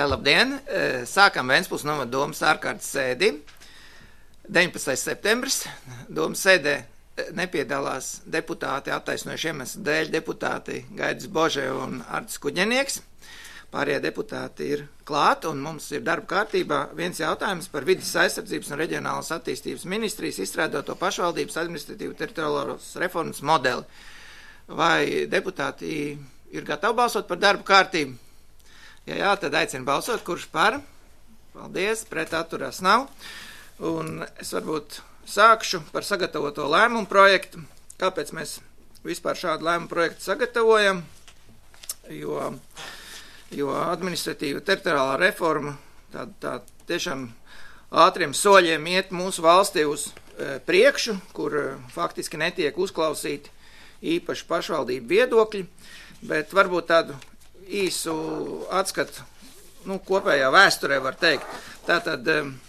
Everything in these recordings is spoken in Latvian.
Labdien! Sākam Ventspils novada domas ārkārtas sēdi. 19. septembris. Domas sēdē nepiedalās deputāti attaisnojuši iemeslu dēļ deputāti Gaidis Bože un Artis Kuģenieks. Pārējie deputāti ir klāt, un mums ir darba kārtībā viens jautājums par vides aizsardzības un reģionālas attīstības ministrijas izstrādāto pašvaldības administratīvu teritoriālās reformas modeli. Vai deputāti ir gatavi balsot par darba kārtību? Ja jā, tad aicinu balsot, kurš par. Paldies, pret atturās nav. Un es varbūt sākšu par sagatavoto lēmumu projektu. Kāpēc mēs vispār šādu lēmumu projektu sagatavojam? Jo administratīva teritoriālā reforma tā tiešām ātriem soļiem iet mūsu valstī uz priekšu, kur faktiski netiek uzklausīti īpaši pašvaldību viedokļi, bet varbūt tādu īsu atskatu kopējā vēsturē var teikt. Tātad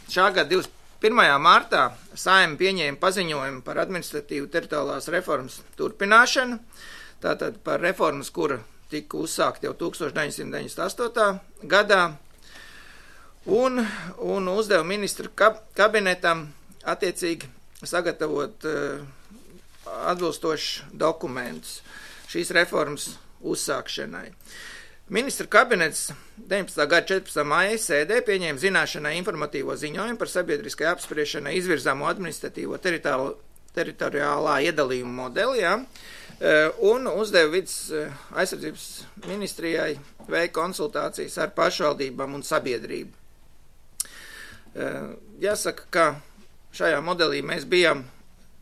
šā gada 21. martā Saeima pieņēma paziņojumu par administratīvu teritoriālās reformas turpināšanu, tātad par reformas, kura tika uzsākta jau 1998. gadā, un uzdeva ministru kabinetam attiecīgi sagatavot atbilstošus dokumentus šīs reformas uzsākšanai. Ministra kabinets 19. gada 14. maija sēdē pieņēma zināšanai informatīvo ziņojumu par sabiedriskai apspriešanai izvirzāmo administratīvo teritoriālā iedalījuma modeli, un uzdeva vides aizsardzības ministrijai veikt konsultācijas ar pašvaldībām un sabiedrību. Jāsaka, ka šajā modelī mēs bijām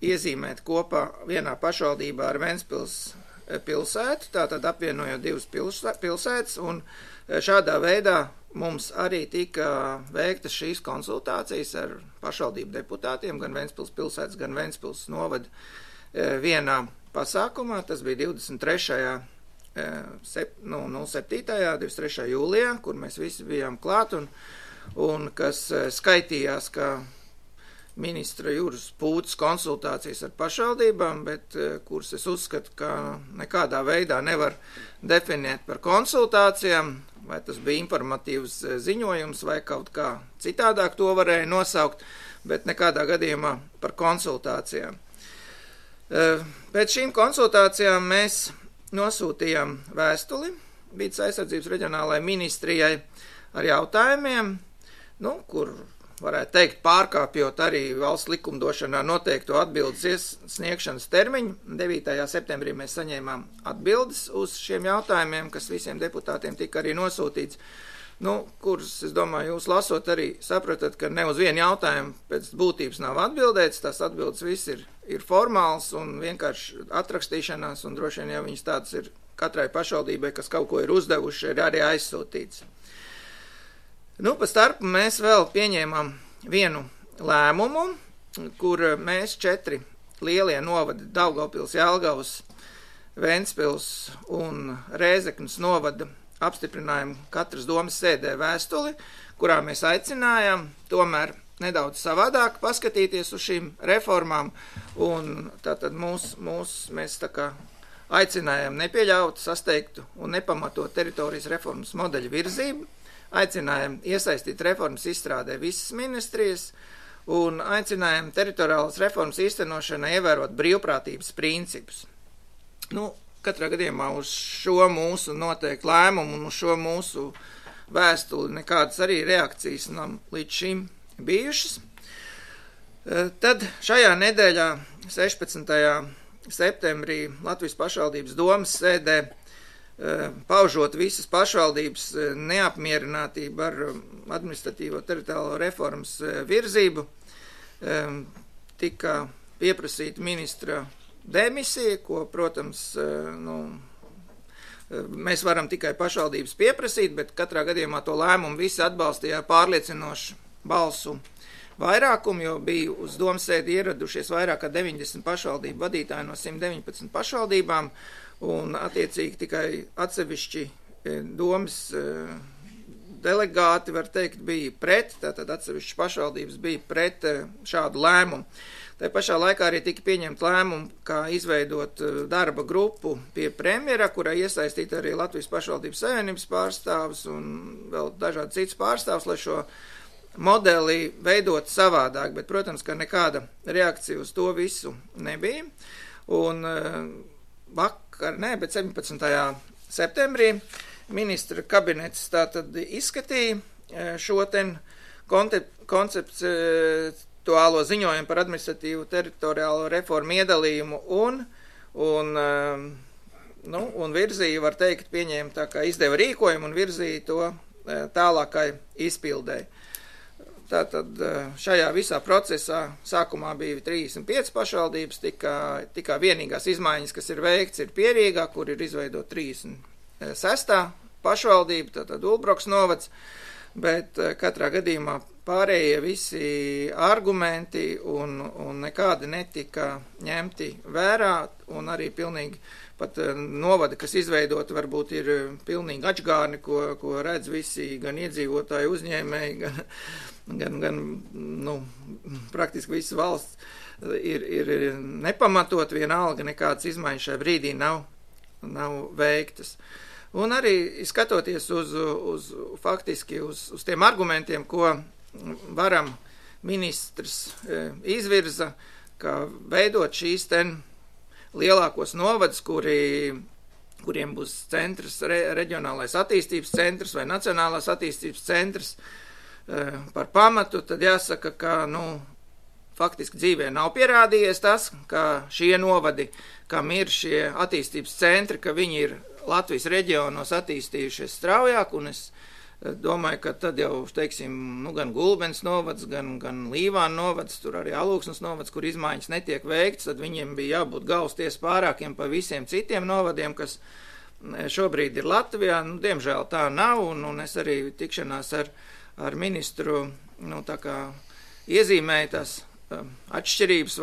iezīmēt kopā vienā pašvaldībā ar Ventspils pilsētu, tātad apvienojot divas pilsētas, un šādā veidā mums arī tika veiktas šīs konsultācijas ar pašvaldību deputātiem, gan Ventspils pilsētas, gan Ventspils novada vienā pasākumā. Tas bija 23. jūlijā, kur mēs visi bijām klāt, un kas skaitījās, ka ministra Juras Pūtas konsultācijas ar pašvaldībām, bet kuras es uzskatu, ka nekādā veidā nevar definēt par konsultācijām, vai tas bija informatīvs ziņojums, vai kaut kā citādāk to varēja nosaukt, bet nekādā gadījumā par konsultācijām. Pēc šīm konsultācijām mēs nosūtījām vēstuli vides aizsardzības reģionālajai ministrijai ar jautājumiem, kur varētu teikt, pārkāpjot arī valsts likumdošanā noteikto atbildes sniegšanas termiņu. 9. septembrī mēs saņēmām atbildes uz šiem jautājumiem, kas visiem deputātiem tika arī nosūtīts, kurus, es domāju, jūs lasot arī sapratat, ka ne uz vienu jautājumu pēc būtības nav atbildēts, tās atbildes viss ir formāls un vienkārši atrakstīšanās, un droši vien, ja viņas tādas ir katrai pašvaldībai, kas kaut ko ir uzdevuši, ir arī aizsūtīts. Pa starpu mēs vēl pieņēmām vienu lēmumu, kur mēs 4 lielie novadi Daugavpils, Jelgavas, Ventspils un Rēzeknes novada apstiprinājām katras domas sēdē vēstuli, kurā mēs aicinājām tomēr nedaudz savādāk paskatīties uz šīm reformām, un tātad mēs tā kā aicinājām nepieļaut, sasteigtu un nepamatot teritorijas reformas modeļu virzību, aicinājām iesaistīt reformas izstrādē visas ministrijas un aicinājām teritoriālas reformas īstenošanai ievērot brīvprātības principus. Katrā gadījumā uz šo mūsu noteikti lēmumu un uz šo mūsu vēstuli nekādas arī reakcijas nav līdz šim bijušas. Tad šajā nedēļā 16. septembrī Latvijas pašvaldības domas sēdē paužot visas pašvaldības neapmierinātību ar administratīvo teritoriālo reformas virzību, tika pieprasīta ministra demisija, ko, protams, mēs varam tikai pašvaldības pieprasīt, bet katrā gadījumā to lēmumu visi atbalstīja pārliecinošu balsu vairākumu, jo bija uz domas sēdi ieradušies vairāk kā 90 pašvaldību vadītāji no 119 pašvaldībām, un attiecīgi tikai atsevišķi domas delegāti, var teikt, bija pret, tātad atsevišķas pašvaldības bija pret šādu lēmumu. Tā pašā laikā arī tika pieņemt lēmumu, kā izveidot darba grupu pie premjera, kurai iesaistīt arī Latvijas pašvaldības savienības pārstāvs un vēl dažādi cits pārstāvs, lai šo modeli veidot savādāk, bet, protams, ka nekāda reakcija uz to visu nebija. Un bet 17. septembrī ministra kabinets tātad izskatīja šo konceptuālo ziņojumu par administratīvu teritoriālo reformu iedalījumu un virzīja, var teikt, pieņēma tā kā izdeva rīkojumu un virzīja to tālākai izpildēji. Tātad šajā visā procesā sākumā bija 35 pašvaldības, tikā vienīgās izmaiņas, kas ir veikts, ir Pierīgā, kur ir izveidot 36. pašvaldība, tātad Ulbroks novads, bet katrā gadījumā pārējie visi argumenti un nekādi netika ņemti vērā, un arī pilnīgi pat novadi, kas izveidoti, varbūt ir pilnīgi atžgārni, ko redz visi, gan iedzīvotāji, uzņēmēji, gan praktiski visas valsts ir nepamatot, vienalga nekādas izmaiņas šajā brīdī nav veiktas. Un arī skatoties faktiski uz tiem argumentiem, ko varam ministrs izvirza, ka veidot šīs lielākos novadus, kuriem būs centrs, reģionālais attīstības centrs vai nacionālās attīstības centrs par pamatu, tad jāsaka, ka, faktiski dzīvē nav pierādījies tas, ka šie novadi, kam ir šie attīstības centri, ka viņi ir Latvijas reģionos attīstījušies straujāk, un es domāju, ka tad jau, teiksim, gan Gulbens novads, gan Līvāna novads, tur arī Alūksnes novads, kur izmaiņas netiek veikts, tad viņiem bija jābūt galvasties pārākiem pa visiem citiem novadiem, kas šobrīd ir Latvijā. Diemžēl tā nav, un es arī tikšanās ar ministru, tā kā iezīmēju tās atšķirības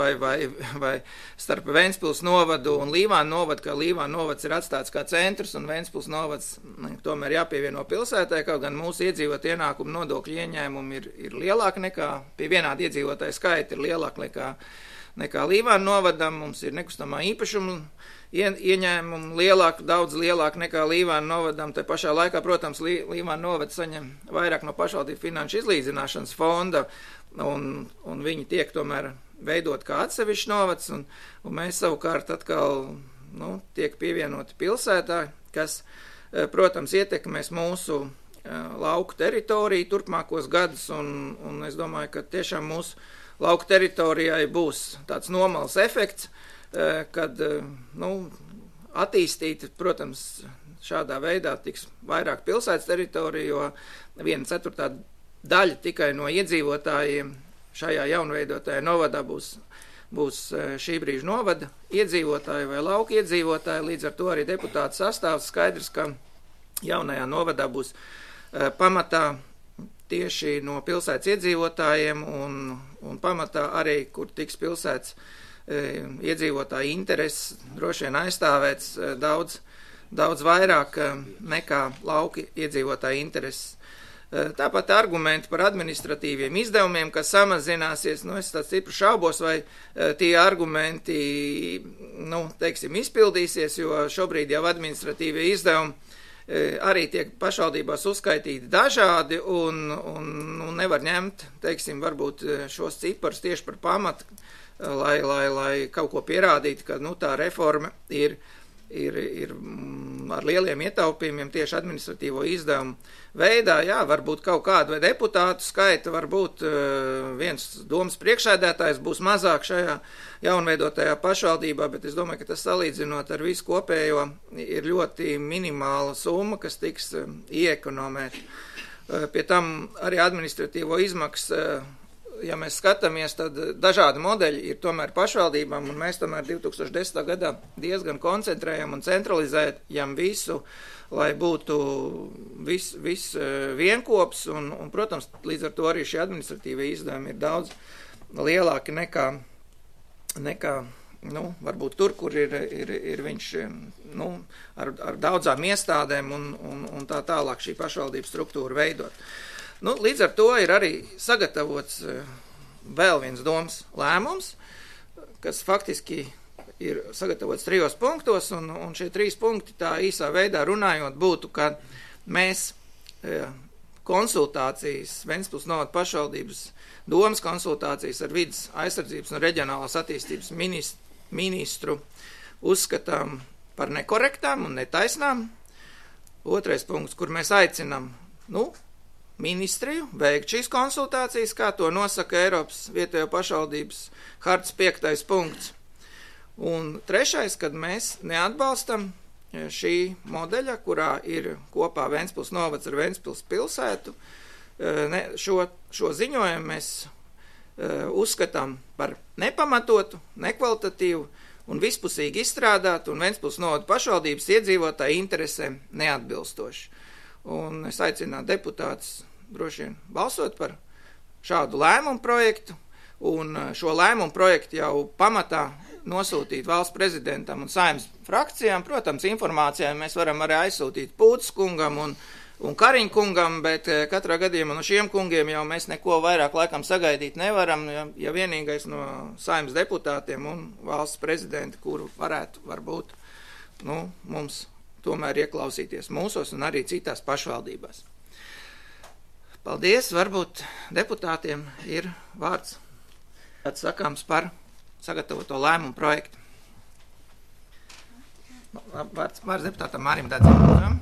vai starp Ventspils novadu un Līvāna novadu, ka Līvāna novads ir atstāts kā centrs un Ventspils novads tomēr jāpievieno pilsētai, kaut gan mūsu iedzīvot ienākumu nodokļu ieņēmumi ir lielāki nekā, pie vienāda iedzīvotāja skaita ir lielāki nekā Līvāna novadam, mums ir nekustamā īpašuma ieņēmumi daudz lielāki nekā Līvāna novadam, te pašā laikā, protams, Līvāna novads saņem vairāk no pašvaldību finanšu izlīdzināšanas fonda, un viņi tiek tomēr veidot kā atsevišķi novads, un mēs savukārt atkal, tiek pievienoti pilsētā, kas, protams, ietekmēs mūsu lauku teritoriju turpmākos gadus, un es domāju, ka tiešām mūsu lauku teritorijai būs tāds nomals efekts, kad, attīstīt, protams, šādā veidā tiks vairāk pilsētas teritoriju, jo 1/4 daļa tikai no iedzīvotājiem šajā jaunveidotajā novadā būs šī brīža novada iedzīvotāji vai lauka iedzīvotāji, līdz ar to arī deputātu sastāvs skaidrs, ka jaunajā novadā būs pamatā tieši no pilsētas iedzīvotājiem un pamatā arī, kur tiks pilsētas iedzīvotāju intereses droši vien aizstāvēts daudz vairāk nekā lauki iedzīvotāju intereses. Tāpat argumenti par administratīviem izdevumiem, kas samazināsies, es tāds stipri šaubos, vai tie argumenti, teiksim, izpildīsies, jo šobrīd jau administratīvie izdevumi arī tiek pašvaldībās uzskaitīti dažādi un nevar ņemt, teiksim, varbūt šos ciparus tieši par pamatu, lai kaut ko pierādītu, ka, tā reforma ir ar lieliem ietaupījumiem tieši administratīvo izdevumu veidā, varbūt kaut kādu vai deputātu skaita, varbūt viens domas priekšsēdētājs būs mazāk šajā jaunveidotajā pašvaldībā, bet es domāju, ka tas salīdzinot ar visu kopējo ir ļoti minimāla summa, kas tiks ieekonomēta. Pie tam arī administratīvo izmaksu, ja mēs skatāmies, tad dažādi modeļi ir tomēr pašvaldībām, un mēs tomēr 2010. gadā diezgan koncentrējam un centralizējam visu, lai būtu viss vienkops, un, protams, līdz ar to arī šie administratīvie izdevumi ir daudz lielāki nekā varbūt tur, kur ir viņš ar daudzām iestādēm un tā tālāk šī pašvaldības struktūra veidot. Līdz ar to ir arī sagatavots vēl viens domas lēmums, kas faktiski ir sagatavots 3 punktos, un šie 3 punkti tā īsā veidā runājot būtu, ka mēs konsultācijas, Ventspils novada pašvaldības domas konsultācijas ar vides aizsardzības un reģionālās attīstības ministru uzskatām par nekorektām un netaisnām. 2. punkts, kur mēs aicinām, ministriju veikt šīs konsultācijas, kā to nosaka Eiropas vietējo pašvaldības hartas 5. punkts. Un 3. kad mēs neatbalstam šī modeļa, kurā ir kopā Ventspils novads ar Ventspils pilsētu, šo ziņojumu mēs uzskatām par nepamatotu, nekvalitatīvu un vispusīgi izstrādātu un Ventspils novada pašvaldības iedzīvotāju interesēm neatbilstoši. Un es aicinātu deputātus droši vien balsot par šādu lēmumu projektu, un šo lēmumu projektu jau pamatā nosūtīt valsts prezidentam un Saeimas frakcijām. Protams, informācijā mēs varam arī aizsūtīt Pūtas kungam un Kariņa kungam, bet katrā gadījumā no šiem kungiem jau mēs neko vairāk laikam sagaidīt nevaram, ja vienīgais no Saeimas deputātiem un valsts prezidenti, kuru varētu varbūt mums tomēr ieklausīties mūsos un arī citās pašvaldībās. Paldies, varbūt deputātiem ir vārds atsakāms par sagatavoto lēmumu projektu. Vārds deputātam Mārim Dedzim.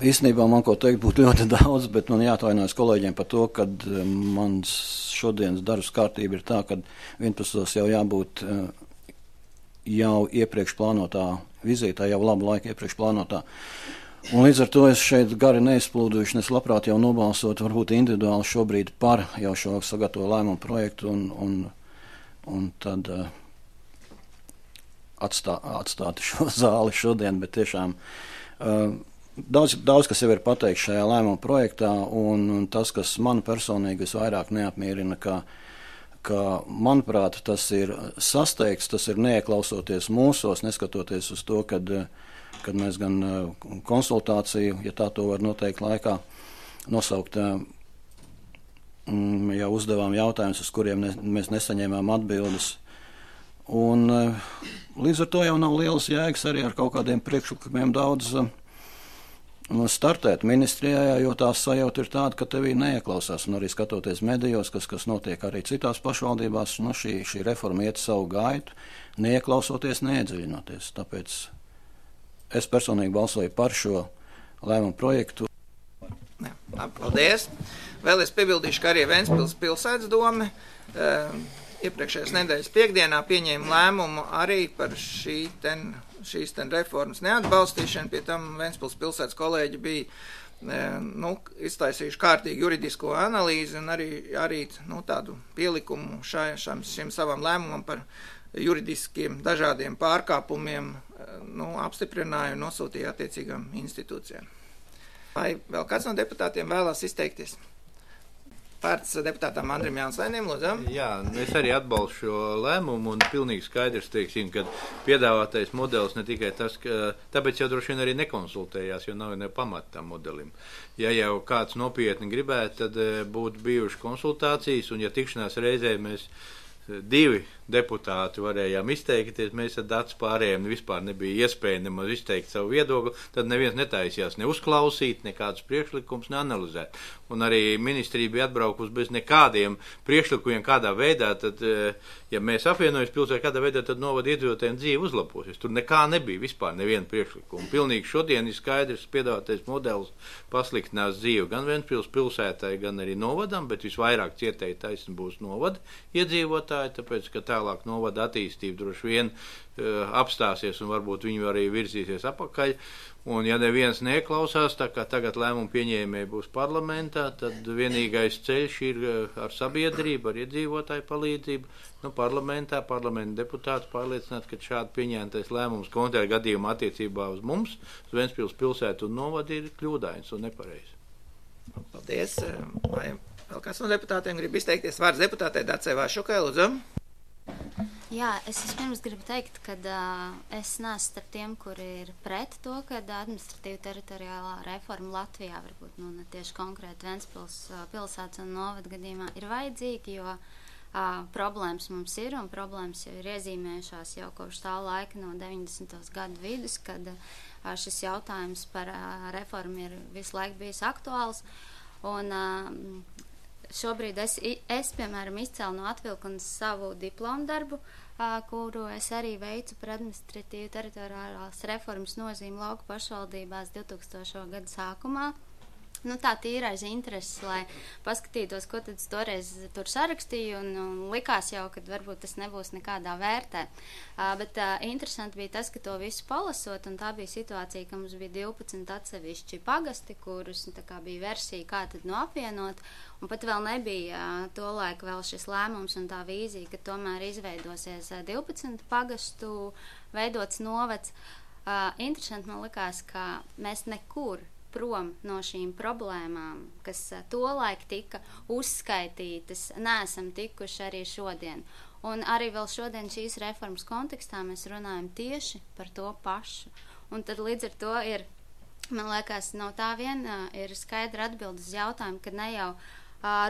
Īstenībā man ko teikt būtu ļoti daudz, bet man jāatvainojas kolēģiem par to, ka mans šodienas darbs kārtība ir tā, ka 11. jau jābūt jau iepriekš plānotā vizītē, jau labu laiku iepriekš plānotā. Un līdz ar to es šeit gari neizplūduši, es labprāt jau nobalsot varbūt individuāli šobrīd par jau šo sagatavo lēmumu projektu un tad atstāt šo zāli šodien, bet tiešām daudz kas jau ir pateikts šajā lēmuma projektā, un tas, kas man personīgi visvairāk neapmierina, ka manuprāt, tas ir sasteigts, tas ir neieklausoties mūsos, neskatoties uz to, kad mēs gan konsultāciju, ja tā to var noteikt laikā, nosaukt, jau uzdevām jautājumus, uz kuriem mēs nesaņēmām atbildes. Un līdz ar to jau nav lielas jēgas arī ar kaut kādiem priekšlikumiem daudz startēt ministrijā, jo tā sajūta ir tāda, ka tevī neieklausās, un arī skatoties medijos, kas notiek arī citās pašvaldībās, šī reforma iet savu gaitu, neieklausoties, neiedziļinoties. Tāpēc es personīgi balsoju par šo lēmumu projektu. Paldies. Vēl es piebildīšu, ka arī Ventspils pilsētas dome iepriekšējās nedēļas piekdienā pieņēma lēmumu arī par šīs reformas neatbalstīšanu. Pie tam Ventspils pilsētas kolēģi bija iztaisījuši kārtīgu juridisko analīzi un arī tādu pielikumu šim savam lēmumam par juridiskiem dažādiem pārkāpumiem apstiprināja un nosūtīja attiecīgām institūcijām. Vai vēl kāds no deputātiem vēlās izteikties? Vārds deputātam Andrim Jānsainim, lūdzu. Jā, es arī atbalstu šo lēmumu un pilnīgi skaidrs, teiksim, ka piedāvātais modelis ne tikai tas, ka tāpēc jau droši vien arī nekonsultējās, jo nav ne pamata tam modelim. Ja jau kāds nopietni gribētu, tad būtu bijušas konsultācijas, un ja tikšanās reizē mēs 2 deputāti varējām izteikties, mēs ar Dats pārējiem vispār nebija iespēja nemaz izteikt savu viedokli, tad neviens netaisījās ne uzklausīt, nekādus priekšlikumus neanalizēt. Un arī ministrija bija atbraukusi bez nekādiem priekšlikumiem, kādā veidā, tad, ja mēs apvienojamies pilsētā, kādā veidā, tad novada iedzīvotājiem dzīve uzlabosies. Tur nekā nebija vispār neviena priekšlikuma. Pilnīgi šodien ir skaidrs piedāvātais modelis pasliktinās dzīvi gan Ventspils pilsētai, gan arī novadam, bet visvairāk cietēji taisni būs novada iedzīvotāji, tāpēc, ka tālāk novada attīstība droši vien apstāsies un varbūt viņi arī virzīsies apakaļ. Un ja neviens neklausās, tā kā tagad lēmumu pieņēmēji būs parlamentā, tad vienīgais ceļš ir ar sabiedrību, ar iedzīvotāju palīdzību, parlamenta deputātus pārliecināt, ka šādi pieņemtais lēmums konkrētā gadījumā attiecībā uz mums, uz Ventspils pilsētu un novadu ir kļūdains un nepareizs. Paldies. Vai vēl kāds no deputātiem grib izteikties? Vārds deputātei Dacei Vašukai, lūdzu. Jā, es vispirms gribu teikt, ka es neesmu starp tiem, kuri ir pret to, ka administratīva teritoriālā reforma Latvijā, varbūt ne tieši konkrēti Ventspils pilsētas un novada gadījumā, ir vajadzīga, jo problēmas mums ir, un problēmas jau ir iezīmējušās jau kopš tā laika no 90. gadu vidus, kad šis jautājums par reformu ir visu laiku bijis aktuāls. Un šobrīd es piemēram, izcēlu no atvilknes savu diplomu darbu, kuru es arī veicu par administratīvu teritoriālās reformas nozīmi lauku pašvaldībās 2000. gada sākumā. Tā tīrais intereses, lai paskatītos, ko tad toreiz tur sarakstīju, un likās jau, ka varbūt tas nebūs nekādā vērtē. Bet interesanti bija tas, ka to visu palasot, un tā bija situācija, ka mums bija 12 atsevišķi pagasti, kurus bija versija, kā tad apvienot, un pat vēl nebija tolaik vēl šis lēmums un tā vīzija, ka tomēr izveidosies 12 pagastu veidots novads. Interesanti man likās, ka mēs nekur prom no šīm problēmām, kas tolaik tika uzskaitītas, neesam tikuši arī šodien. Un arī vēl šodien šīs reformas kontekstā mēs runājam tieši par to pašu. Un tad līdz ar to ir, man liekas, no tā vien ir skaidra atbilde uz jautājumu, ka ne jau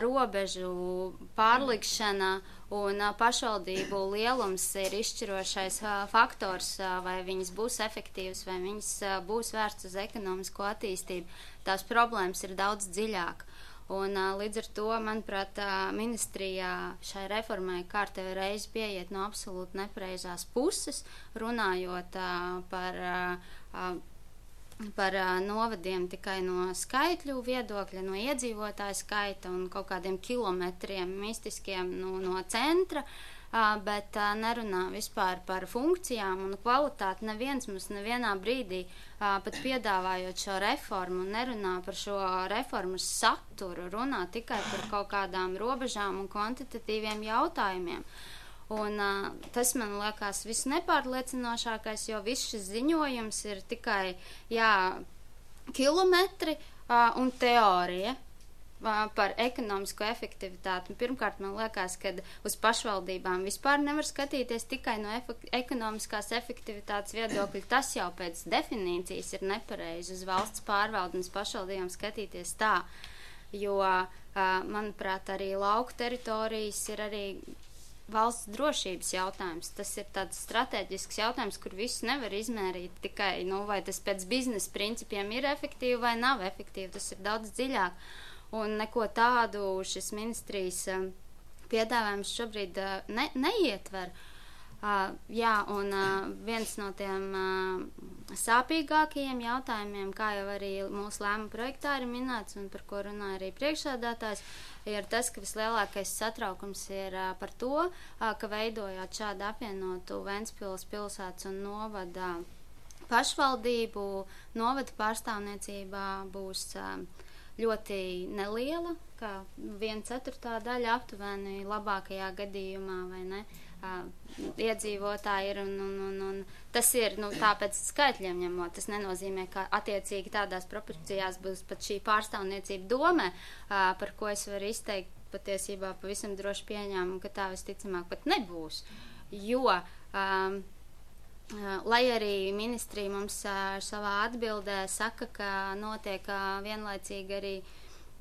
robežu pārlikšana un pašvaldību lielums ir izšķirošais faktors, vai viņas būs efektīvas, vai viņas būs vērsts uz ekonomisko attīstību. Tās problēmas ir daudz dziļāk. Un līdz ar to, manuprāt, ministrijā šai reformai kārtējo reizi pieiet no absolūti nepareizās puses, runājot par novadiem tikai no skaitļu viedokļa, no iedzīvotāju skaita un kaut kādiem kilometriem mistiskiem no centra, bet nerunā vispār par funkcijām un kvalitāti. Neviens mums nevienā brīdī, pat piedāvājot šo reformu, nerunā par šo reformas saturu, runā tikai par kaut kādām robežām un kvantitatīviem jautājumiem. Un tas man liekas viss nepārliecinošākais, jo viss šis ziņojums ir tikai kilometri un teorija par ekonomisko efektivitāti. Pirmkārt, man liekas, ka uz pašvaldībām vispār nevar skatīties tikai no ekonomiskās efektivitātes viedokļa. Tas jau pēc definīcijas ir nepareizi uz valsts pārvaldu un uz pašvaldībām skatīties tā, jo, manuprāt, arī lauku teritorijas ir arī valsts drošības jautājums. Tas ir tāds strateģisks jautājums, kur visu nevar izmērīt tikai, vai tas pēc biznesa principiem ir efektīvi vai nav efektīvi. Tas ir daudz dziļāk. Un neko tādu šis ministrijas piedāvājums šobrīd neietver. Un viens no tiem sāpīgākajiem jautājumiem, kā jau arī mūsu lēmuma projektā ir minēts un par ko runāja arī priekšsēdētājs, ir tas, ka vislielākais satraukums ir par to, ka veidojot šādu apvienotu Ventspils pilsētas un novada pašvaldību, novada pārstāvniecībā būs ļoti neliela, kā 1/4 daļa aptuveni labākajā gadījumā, vai ne? Iedzīvotāji ir, un tas ir, tāpēc skaitļiem ņemot, tas nenozīmē, ka attiecīgi tādās proporcijās būs pat šī pārstāvniecība domē, par ko es varu izteikt patiesībā pavisam droši pieņēmumu, ka tā visticamāk pat nebūs, jo, lai arī ministrija mums savā atbildē saka, ka notiek vienlaicīgi arī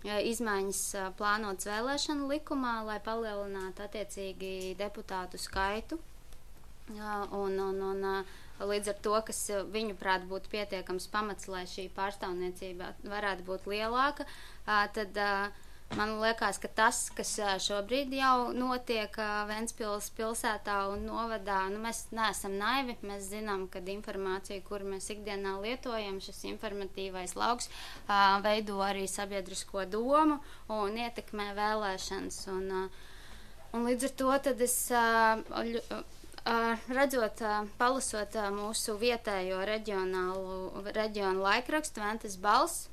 izmaiņas plānotas vēlēšanu likumā, lai palielinātu attiecīgi deputātu skaitu. Un līdz ar to, kas viņuprāt būtu pietiekams pamats, lai šī pārstāvniecība varētu būt lielāka, tad man liekas, ka tas, kas šobrīd jau notiek Ventspils pilsētā un novadā, mēs neesam naivi, mēs zinām, ka informācija, kuru mēs ikdienā lietojam, šis informatīvais lauks, veido arī sabiedrisko domu un ietekmē vēlēšanas. Un līdz ar to tad es redzot, palasot mūsu vietējo reģionu laikrakstu Ventes balss,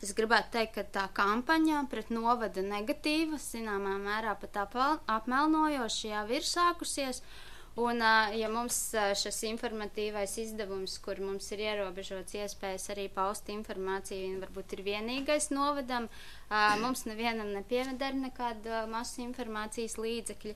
es gribētu teikt, ka tā kampaņa pret novada negatīva, zināmā mērā pat apmelnojoši jau ir sākusies, Un, ja mums šis informatīvais izdevums, kur mums ir ierobežots iespējas arī paust informāciju, varbūt ir vienīgais novadam, mums nevienam nepieveder nekāda masu informācijas līdzekļi,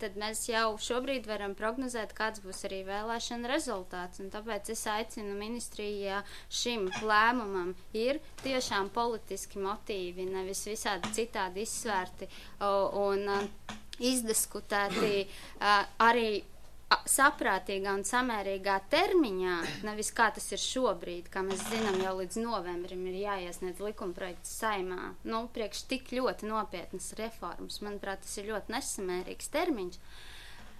tad mēs jau šobrīd varam prognozēt, kāds būs arī vēlēšana rezultāts. Un tāpēc es aicinu ministriju, ja šim lēmumam ir tiešām politiski motīvi, nevis visādi citādi izsvērti un izdiskutēti arī saprātīgā un samērīgā termiņā, nevis kā tas ir šobrīd, kā mēs zinām, jau līdz novembrim ir jāiesniedz likumprojekts Saeimā. Priekš tik ļoti nopietnas reformas, manuprāt, tas ir ļoti nesamērīgs termiņš.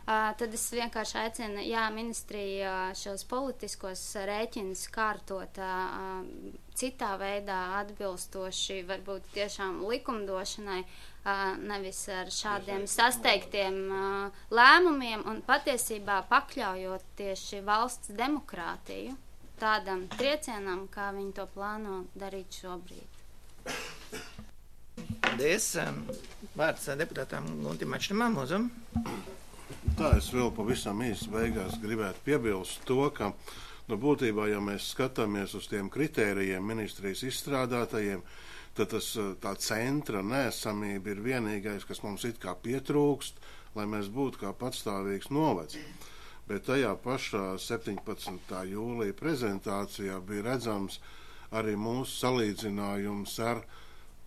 Tad es vienkārši aicinu, ministrija šos politiskos rēķinus kārtot citā veidā atbilstoši, varbūt tiešām likumdošanai, nevis ar šādiem sasteigtiem lēmumiem un patiesībā pakļaujot tieši valsts demokrātiju tādam triecienam, kā viņi to plāno darīt šobrīd. Paldies. Vārds deputātām Guntim Mačnamam, lūdzu. Tā es vēl pavisam īsti beigās gribētu piebilst to, ka būtībā, ja mēs skatāmies uz tiem kritērijiem ministrijas izstrādātajiem, tad tā centra neesamība ir vienīgais, kas mums it kā pietrūkst, lai mēs būtu kā patstāvīgs novads. Bet tajā pašā 17. jūlija prezentācijā bija redzams arī mūsu salīdzinājums ar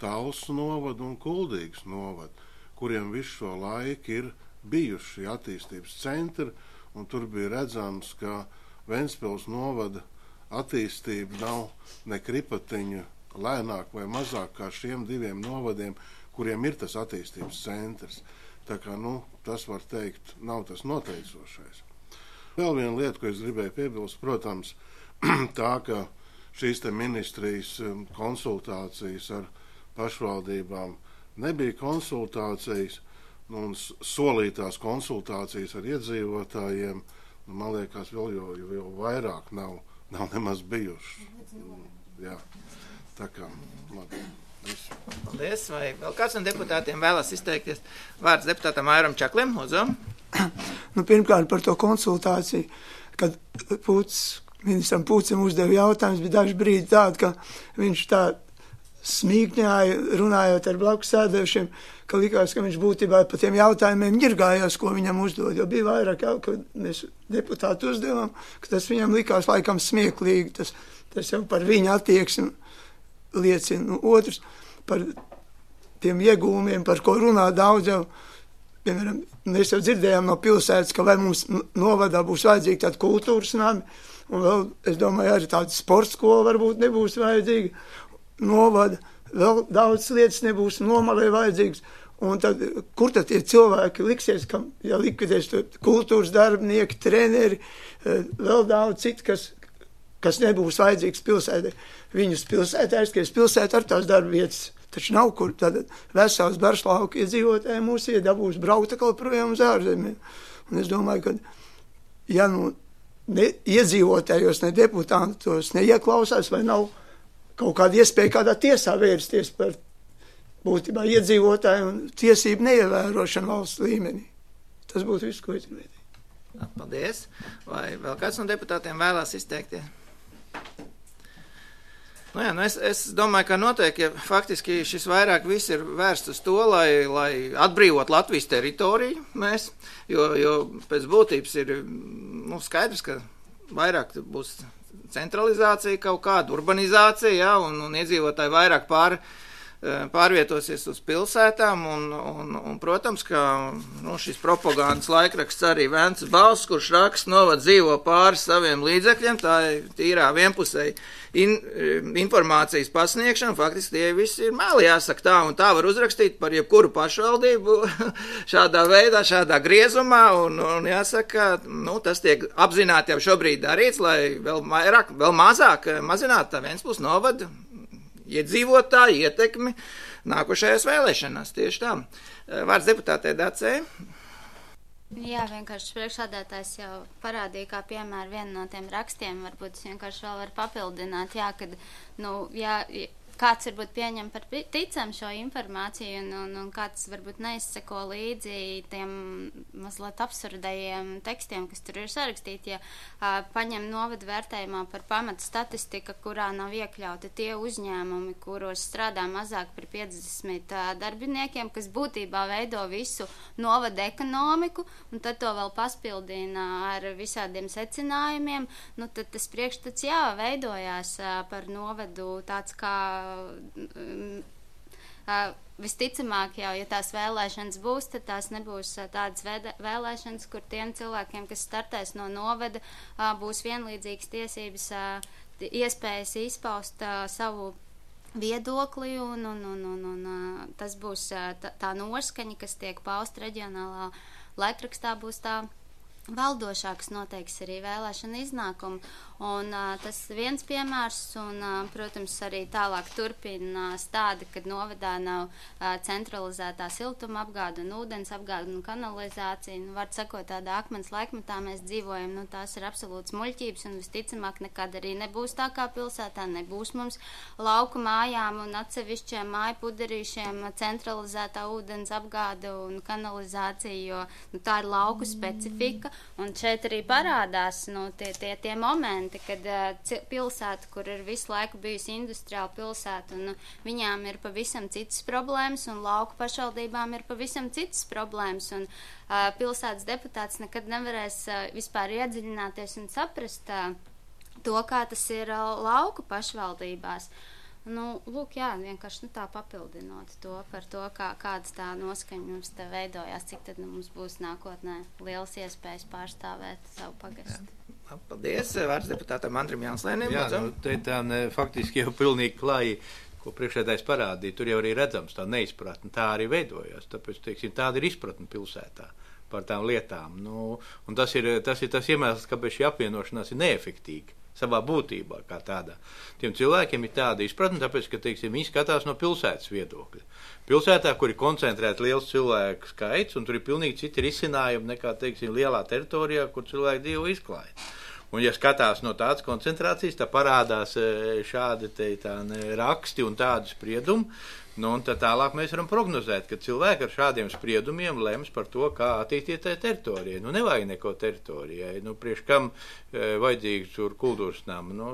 Talsu novadu un Kuldīgas novadu, kuriem visu šo laiku ir bijuši attīstības centri, un tur bija redzams, ka Ventspils novada attīstība nav ne kripatiņu lēnāk vai mazāk kā šiem diviem novadiem, kuriem ir tas attīstības centrs. Tā kā, tas var teikt, nav tas noteicošais. Vēl viena lieta, ko es gribēju piebilst, protams, tā, ka šīs te ministrijas konsultācijas ar pašvaldībām nebija konsultācijas, un solītās konsultācijas ar iedzīvotājiem, man liekas, vēl jau vairāk nav nemaz bijuši. Jā, tā kā, labi. Visu. Paldies. Vai vēl kāds no deputātiem vēlas izteikties? Vārds deputātam Airam Čaklim, lūdzu. Pirmkārt par to konsultāciju, kad ministram Pūcim uzdeva jautājums, bija daži brīdi tādi, ka viņš tā smīkņāja, runājot ar blakus sēdējušiem, ka likās, ka viņš būtībā pa tiem jautājumiem ņirgājās, ko viņam uzdod. Jo bija vairāk jau, kad mēs deputāti uzdevām, ka tas viņam likās laikam smieklīgi, tas jau par viņa attieksmi liecina. Otrs, par tiem iegūmiem, par ko runā daudz jau, piemēram, mēs jau dzirdējām no pilsētas, ka vai mums novadā būs vajadzīgi tādi kultūras nami, un vēl, es domāju, arī tāda sports skola varbūt nebūs vajadzīga, novada, vēl daudz lietas nebūs nomalē vajadzīgas, un tad, kur tad tie cilvēki liksies, ka, ja likvidēs kultūras darbinieki, treneri, vēl daudz citu, kas nebūs vajadzīgs pilsētē. Viņus pilsētē aizskries pilsētā ar tās darba vietas, taču nav kur, tad vesels Barslauka iedzīvotāji mūs iedabūs braukt atkal projām uz ārzemēm. Un es domāju, ka, ja iedzīvotājos, ne deputātos neieklausās, vai nav kaut kāda iespēja kādā tiesā vērsties par būtībā iedzīvotāju un tiesību neievērošanu valsts līmenī. Tas būtu viss, ko es gribēju. Paldies. Vai vēl kāds no deputātiem vēlās izteikties? Es domāju, ka noteikti, ja faktiski šis vairāk viss ir vērsts uz to, lai atbrīvot Latvijas teritoriju mēs, jo pēc būtības ir skaidrs, ka vairāk būs centralizācija kaut kāda, urbanizācija, ja, un iedzīvotāji vairāk pārvietosies uz pilsētām, un protams, ka šis propagandas laikraksts arī Vences balss, kurš raksta novad dzīvo pāri saviem līdzekļiem, tā ir tīrā vienpusēji informācijas pasniegšana, faktiski tie visi ir meli, jāsaka tā, un tā var uzrakstīt par jebkuru pašvaldību šādā veidā, šādā griezumā, un jāsaka, tas tiek apzināti jau šobrīd darīts, lai vēl mazāk mazinātu tā Ventspils novada iedzīvotāju ietekmi nākošajās vēlēšanās. Tieši tā. Vārds deputātei Dacei. Jā, vienkārši priekšsādātājs jau parādīja, kā piemēram vienu no tiem rakstiem, varbūt es vienkārši vēl varu papildināt, kad, kāds varbūt pieņem par ticam šo informāciju un kāds varbūt neizseko līdzi tiem mazliet absurdajiem tekstiem, kas tur ir sarakstīti, ja paņem novadu vērtējumā par pamatu statistika, kurā nav iekļauti tie uzņēmumi, kuros strādā mazāk par 50 darbiniekiem, kas būtībā veido visu novadu ekonomiku, un tad to vēl paspildina ar visādiem secinājumiem, nu tad tas priekšstats veidojās par novadu tāds kā visticamāk jau, ja tās vēlēšanas būs, tad tās nebūs tādas vēlēšanas, kur tiem cilvēkiem, kas startēs no novada, būs vienlīdzīgas tiesības, iespējas izpaust savu viedokli un tas būs tā noskaņa, kas tiek pausta reģionālā laikrakstā, būs tā valdošā, kas noteiks arī vēlēšana iznākumu. Un tas viens piemērs, un, protams, arī tālāk turpinās tādi, kad novadā nav centralizētā siltuma apgāde un ūdens apgāde un kanalizācija. Nu, var sakot, tādā akmens laikmetā mēs dzīvojam, nu, tās ir absolūts muļķības, un visticamāk nekad arī nebūs tā kā pilsētā, nebūs mums lauku mājām un atsevišķiem māju puderīšiem centralizētā ūdens apgāde un kanalizācija, jo nu, tā ir lauku specifika. Un šeit arī parādās nu, tie momenti, kad pilsēta, kur ir visu laiku bijusi industriāla pilsēta, un viņām ir pavisam citas problēmas, un lauku pašvaldībām ir pavisam citas problēmas, un pilsētas deputāts nekad nevarēs vispār iedziļināties un saprast to, kā tas ir lauku pašvaldībās. Nu, lūk, jā, vienkārši tā papildinot to par to, kādas tā noskaņa mums te veidojās, cik tad mums būs nākotnē lielas iespējas pārstāvēt savu pagastu. Jā. Paldies, vārds deputātam Andrim Jānslēnim. Jā, nu, te tā faktiski jau pilnīgi klāji, ko priekšsēdājs parādīja, tur jau arī redzams tā neizpratne, tā arī veidojās, tāpēc, teiksim, tāda ir izpratne pilsētā par tām lietām. Nu, un tas ir tas iemesls, kāpēc šī apvienošanās ir neefektīga savā būtībā kā tādā. Tiem cilvēkiem ir tāda izpratne, tāpēc, ka, teiksim, viņi skatās no pilsētas viedokļa. Pilsētā, kur ir koncentrēts liels cilvēku skaits, un tur ir pilnīgi citi risinājumi nekā, teiksim, lielā teritorijā, kur cilvēki dzīvo izklāja. Un, ja skatās no tādas koncentrācijas, tā parādās šādi raksti un tādi spriedumi, nu, un tad tālāk mēs varam prognozēt, ka cilvēki ar šādiem spriedumiem lems par to, kā attīstīt teritorijai. Nu, nevajag neko teritorijai. Nu, priekš kam vajadzīgs tur kultūras nama? Nu,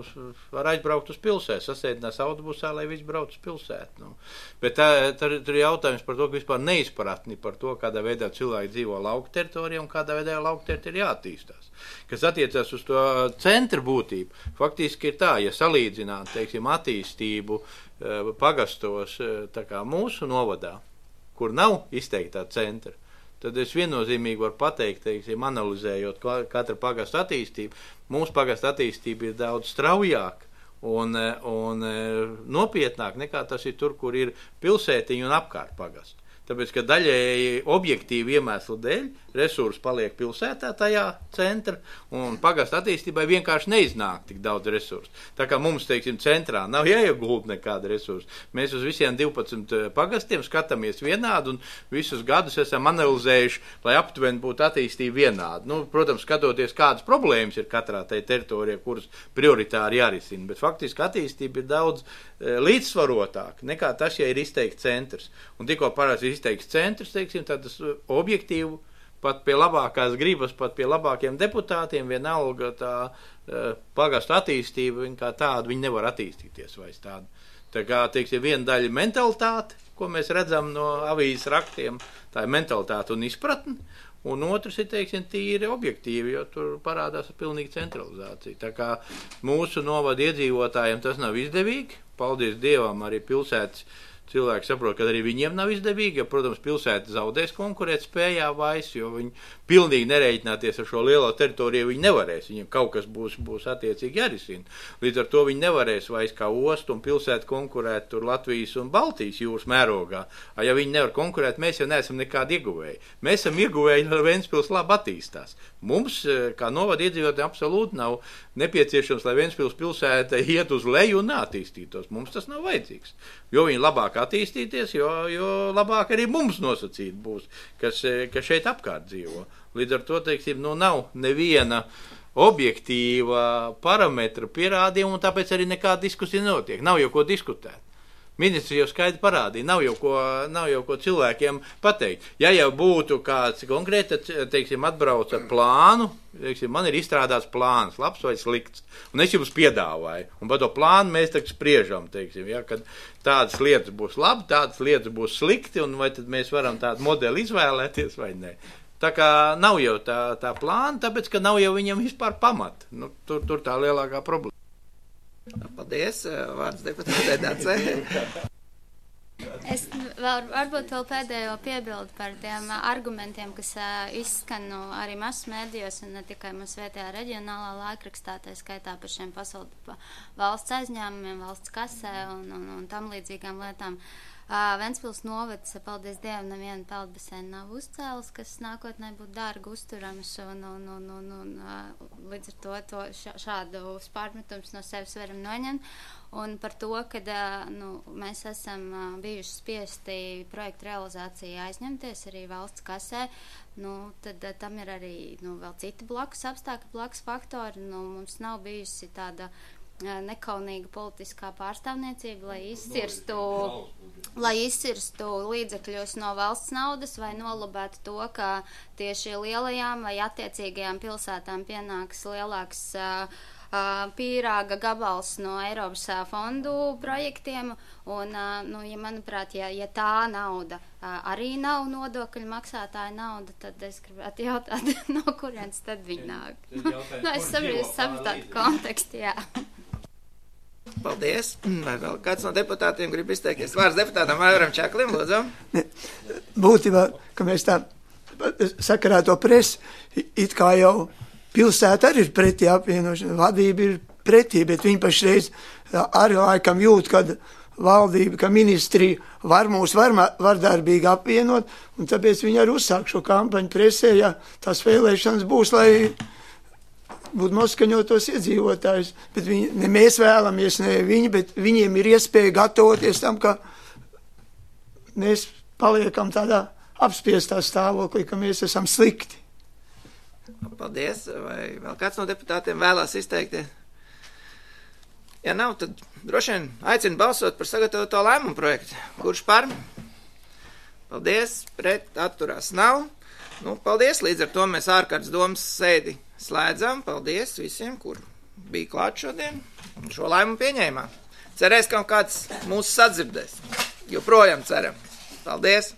var aizbraukt uz pilsētu, sasēdinās autobusā, lai viss brauc uz pilsētu. Nu. Bet tur ir jautājums par to, ka vispār neizpratni par to, kādā veidā cilvēki dzīvo lauku teritorijā un kādā veidā lauku teritorija jāattīstās. Kas attiecās uz to centra būtību, faktiski ir tā, ja salīdzināt, teiksim, attīstību pagastos tā kā mūsu novadā, kur nav izteiktā centra, tad es viennozīmīgi varu pateikt, teiksim, analizējot katra pagasta attīstību, mūsu pagasta attīstība ir daudz straujāk un nopietnāk nekā tas ir tur, kur ir pilsētiņi un apkārt pagastu. Tāpēc, ka daļēji objektīvi iemeslu dēļ resursi paliek pilsētā tajā centra un pagasta attīstībai vienkārši neiznāk tik daudz resursu. Tā kā mums, teiksim, centrā nav jāiegulda nekāda resursa. Mēs uz visiem 12 pagastiem skatāmies vienādi un visus gadus esam analizējuši, lai aptuveni būtu attīstība vienādi. Nu, protams, skatoties, kādas problēmas ir katrā tai teritorijā, kuras prioritāri jārisina, bet faktiski attīstība ir daudz līdzsvarotāk nekā tas, ja ir izteikts centrs. Un tikko parasti izteikts centrs, teiksim, tad tas objektīvi pat pie labākās gribas, pat pie labākiem deputātiem vienalga tā pagastu attīstība, viņa kā tāda, viņa nevar attīstīties vairs tāda. Tā kā, teiksim, viena daļa mentalitāte, ko mēs redzam no avīzes raktiem, tā ir mentalitāte un izpratne, un otrs ir, teiksim, tīri objektīvi, jo tur parādās pilnīgi centralizācija. Tā kā mūsu novada iedzīvotājiem tas nav izdevīgi, paldies Dievam, arī pilsētas cilvēki saprot, ka arī viņiem nav izdevīgi, jo, protams, pilsēta zaudēs konkurēt spējā vairs, jo viņi pilnīgi nereiķināties ar šo lielo teritoriju viņi nevarēs. Viņiem kaut kas būs attiecīgi jārisina. Līdz ar to viņi nevarēs vairs kā ostu un pilsētu konkurēt tur Latvijas un Baltijas jūras mērogā. Ja viņi nevar konkurēt, mēs jau neesam nekādi ieguvēji. Mēs esam ieguvēji, lai Ventspils labi attīstās. Mums, kā novada iedzīvotājiem, absolūti nav nepieciešams, lai Ventspils pilsēta iet uz leju un neattīstītos. Mums tas nav vajadzīgs. Jo viņi labāk attīstīties, jo labāk arī mums nosacīt būs, kas šeit apkārt dzīvo. Līdz ar to, teiksim, nav neviena objektīva parametra pierādījuma, un tāpēc arī nekāda diskusija notiek. Nav jau ko diskutēt. Ministri jau skaidri parādīja, nav jau ko cilvēkiem pateikt. Ja jau būtu kāds konkrēti, teiksim, atbrauc ar plānu, teiksim, man ir izstrādāts plāns, labs vai slikts, un es jums piedāvāju, un par to plānu mēs tagad spriežam, teiksim, ja, kad tādas lietas būs labi, tādas lietas būs slikti, un vai tad mēs varam tādu modeli izvēlēties vai ne. Tā kā nav jau tā plāna, tāpēc, ka nav jau viņam vispār pamata. Nu, tur tā lielākā problēma. Paldies, vārds deputātei Dacei. Es varbūt vēl pēdējo piebildu par tiem argumentiem, kas izskan arī masu mēdījos un ne tikai mūsu vietējā reģionālā laikrakstā, tā skaitā par šiem valsts aizņēmumiem, valsts kasē un tam līdzīgām lietām. Ventspils novads, paldies Dievam, nevienu peldbaseinu nav uzcēlis, kas nākotnē būtu dārgi uzturams, un līdz ar to šādu pārmetums no sevis varam noņemt. Un par to, ka mēs esam bijuši spiesti projektu realizāciju aizņemties arī valsts kasē, tad tam ir arī vēl citi blakus apstākļi, blakus faktori. Mums nav bijusi tāda nekaunīga politiskā pārstāvniecība, lai izcirstu līdzekļus no valsts naudas vai nolabētu to, ka tieši lielajām vai attiecīgajām pilsētām pienāks lielāks pīrāga gabals no Eiropas fondu projektiem, un, manuprāt, ja tā nauda arī nav nodokļu maksātāja nauda, tad es gribētu jautāt, no kurienes tad viņi nāk. Es saprotu tādu kontekstu, jā. Paldies. Vai vēl kāds no deputātiem grib izteikties? Vārds deputātam Aivaram Čaklim, lūdzu. Būtībā, ka mēs tā sakarā to presi, it kā jau pilsēta arī ir pretī apvienošana, vadība ir pretī, bet viņi pašreiz arī laikam jūt, kad valdība, ka ministrija var mūs vardarbīgi apvienot, un tāpēc viņi arī uzsāk šo kampaņu presē, ja tās vēlēšanas būs, lai būtu noskaņotos iedzīvotājus, bet ne mēs vēlamies, ne viņi, bet viņiem ir iespēja gatavoties tam, ka mēs paliekam tādā apspiestā stāvoklī, ka mēs esam slikti. Paldies. Vai vēl kāds no deputātiem vēlās izteikties? Ja nav, tad droši vien aicinu balsot par sagatavoto lēmumu projektu. Kurš par? Paldies. Pret atturās nav. Paldies. Līdz ar to mēs ārkārtas domas sēdi slēdzam. Paldies visiem, kur bija klāt šodien un šo lēmumu pieņēmā. Cerēs, ka kāds mūs sadzirdēs. Joprojām ceram. Paldies!